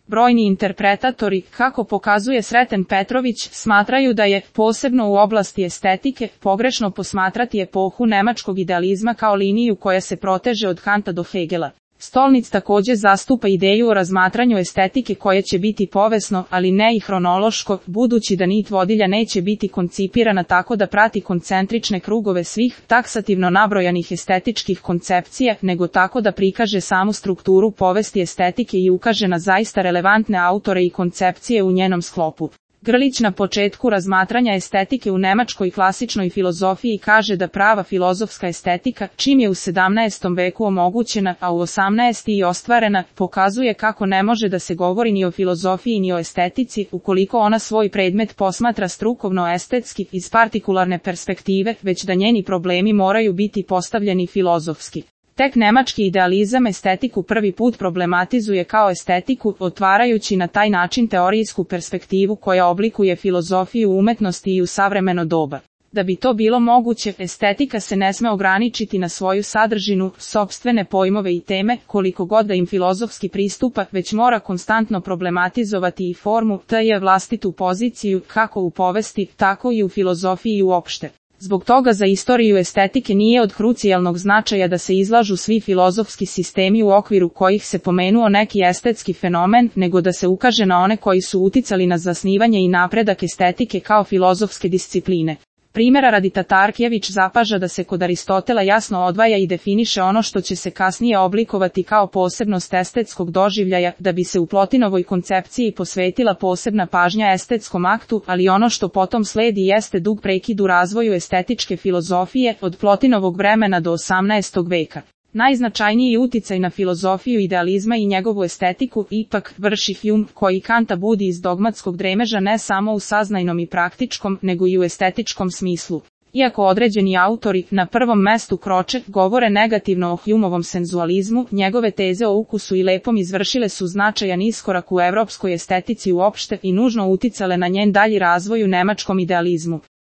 Brojni interpretatori, kako pokazuje Sreten Petrović, smatraju da je, posebno u oblasti estetike, pogrešno posmatrati epohu nemačkog idealizma kao liniju koja se proteže od Kanta do Hegela. Stolnic također zastupa ideju o razmatranju estetike koje će biti povesno, ali ne i hronološko, budući da nit vodilja neće biti koncipirana tako da prati koncentrične krugove svih taksativno nabrojanih estetičkih koncepcija, nego tako da prikaže samu strukturu povesti estetike i ukaže na zaista relevantne autore i koncepcije u njenom sklopu. Grlić na početku razmatranja estetike u nemačkoj klasičnoj filozofiji kaže da prava filozofska estetika, čim je u 17. veku omogućena, a u 18. i ostvarena, pokazuje kako ne može da se govori ni o filozofiji ni o estetici, ukoliko ona svoj predmet posmatra strukovno-estetski iz partikularne perspektive, već da njeni problemi moraju biti postavljeni filozofski. Tek nemački idealizam estetiku prvi put problematizuje kao estetiku, otvarajući na taj način teorijsku perspektivu koja oblikuje filozofiju umetnosti i u savremeno doba. Da bi to bilo moguće, estetika se ne sme ograničiti na svoju sadržinu, sopstvene pojmove i teme, koliko god da im filozofski pristupa, već mora konstantno problematizovati i formu, te vlastitu poziciju, kako u povesti, tako i u filozofiji uopšte. Zbog toga za istoriju estetike nije od krucijalnog značaja da se izlažu svi filozofski sistemi u okviru kojih se pomenuo neki estetski fenomen, nego da se ukaže na one koji su uticali na zasnivanje i napredak estetike kao filozofske discipline. Primjera radi Tatarkjević zapaža da se kod Aristotela jasno odvaja i definiše ono što će se kasnije oblikovati kao posebnost estetskog doživljaja, da bi se u Plotinovoj koncepciji posvetila posebna pažnja estetskom aktu, ali ono što potom sledi jeste dug prekid u razvoju estetičke filozofije od Plotinovog vremena do 18. veka. Najznačajniji uticaj na filozofiju idealizma i njegovu estetiku ipak vrši Hume, koji Kanta budi iz dogmatskog dremeža ne samo u saznajnom i praktičkom, nego i u estetičkom smislu. Iako određeni autori, na prvom mestu Croce, govore negativno o Humeovom senzualizmu, njegove teze o ukusu i lepom izvršile su značajan iskorak u evropskoj estetici uopšte i nužno uticale na njen dalji razvoj u nemačkom idealizmu.